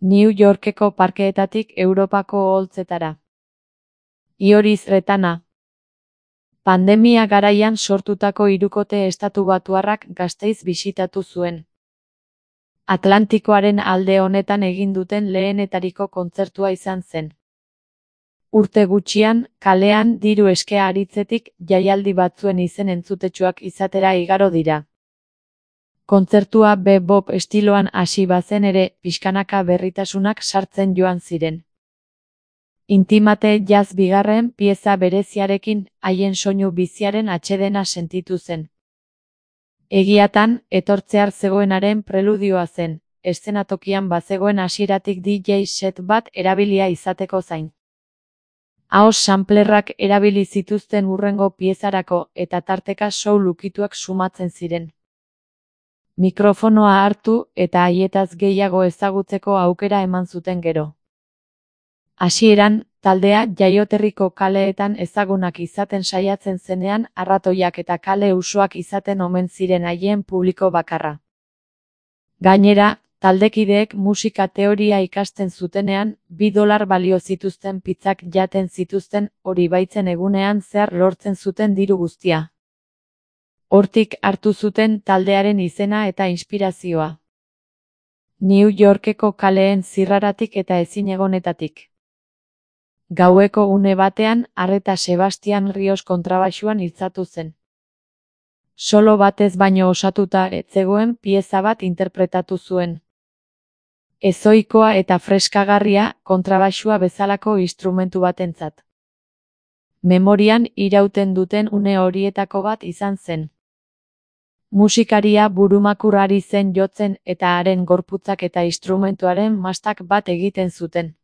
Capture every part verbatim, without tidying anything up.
New Yorkeko parkeetatik Europako oholtzetara. Ioriz Retana. Pandemia garaian sortutako hirukote estatubatuarrak Gasteiz bisitatu zuen. Atlantikoaren alde honetan egin duten lehenetariko kontzertua izan zen. Urte gutxian, kalean diru eskea aritzetik jaialdi batzuen izen entzutetsuak izatera igaro dira. Kontzertua bebop estiloan hasi bazen ere, pixkanaka berritasunak sartzen joan ziren. Intimate jazz bigarren pieza bereziarekin haien soinu biziaren atsedena sentitu zen. Egiatan, etortzear zegoenaren preludioa zen, eszenatokian bazegoen hasieratik D J set bat erabilia izateko zain. Ahos samplerrak erabili zituzten hurrengo piezarako eta tarteka soul ukituak sumatzen ziren. Mikrofonoa hartu eta haietaz gehiago ezagutzeko aukera eman zuten gero. Hasieran, taldea jaioterriko kaleetan ezagunak izaten saiatzen zenean arratoiak eta kale usoak izaten omen ziren haien publiko bakarra. Gainera, taldekideek musika teoria ikasten zutenean, bi dolar balio zituzten pizzak jaten zituzten hori baitzen egunean zehar lortzen zuten diru guztia. Hortik hartu zuten taldearen izena eta inspirazioa. New Yorkeko kaleen zirraratik eta ezinegonetatik. Gaueko une batean, Arreta Sebastian Rios kontrabaxuan iltzatu zen. Solo batez baino osatuta ez zegoen pieza bat interpretatu zuen. Ezoikoa eta freskagarria kontrabaxua bezalako instrumentu batentzat. Memorian irauten duten une horietako bat izan zen. Musikaria burumakur ari zen jotzen eta haren gorputzak eta instrumentuaren mastak bat egiten zuten.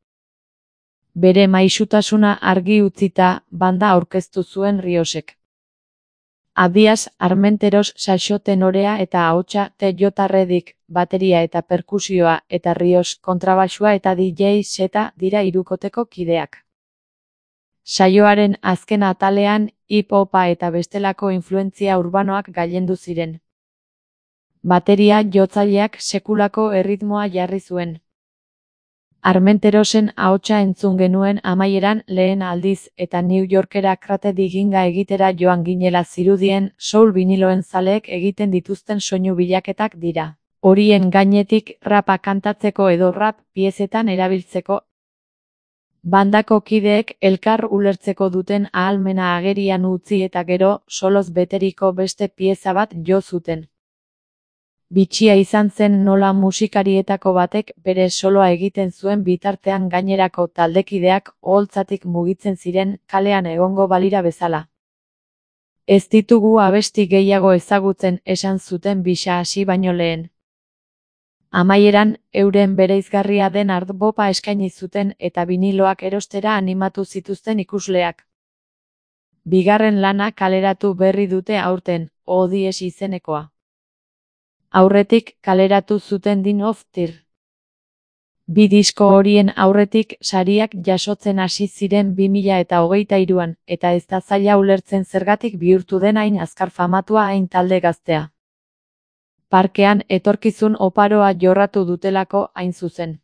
Bere maisutasuna argi utzita, banda aurkeztu zuen Riosek. Adiaz, Armenteros saxo tenorea eta ahotsa T.J. Reddick, bateria eta perkusioa eta Rios kontrabaxua eta D J seta dira hirukoteko kideak. Saioaren azken atalean, hip-hopa eta bestelako influentzia urbanoak gailendu ziren. Bateria jotzaileak sekulako erritmoa jarri zuen. Armenterosen ahotsa entzun genuen amaieran lehen aldiz eta New Yorkera krate diginga egitera joan ginela zirudien soul biniloen zaleek egiten dituzten soinu bilaketak dira. Horien gainetik rapa kantatzeko edo rap piezetan erabiltzeko. Bandako kideek elkar ulertzeko duten ahalmena agerian utzi eta gero soloz beteriko beste pieza bat jo zuten. Bitxia izan zen nola musikarietako batek bere soloa egiten zuen bitartean gainerako taldekideak oholtzatik mugitzen ziren kalean egongo balira bezala. Ez ditugu abesti gehiago ezagutzen esan zuten bisa hasi baino lehen. Amaieran, euren bereizgarria den art-bopa eskaini zuten eta biniloak erostera animatu zituzten ikusleak. Bigarren lana kaleratu berri dute aurten, O D S izenekoa. Aurretik kaleratu zuten Din of Tir. Bi disko horien aurretik sariak jasotzen hasi ziren bi mila eta hogeita hiruan, eta ez da zaila ulertzen zergatik bihurtu den hain azkar famatua hain talde gaztea. Parkean etorkizun oparoa jorratu dutelako hain zuzen.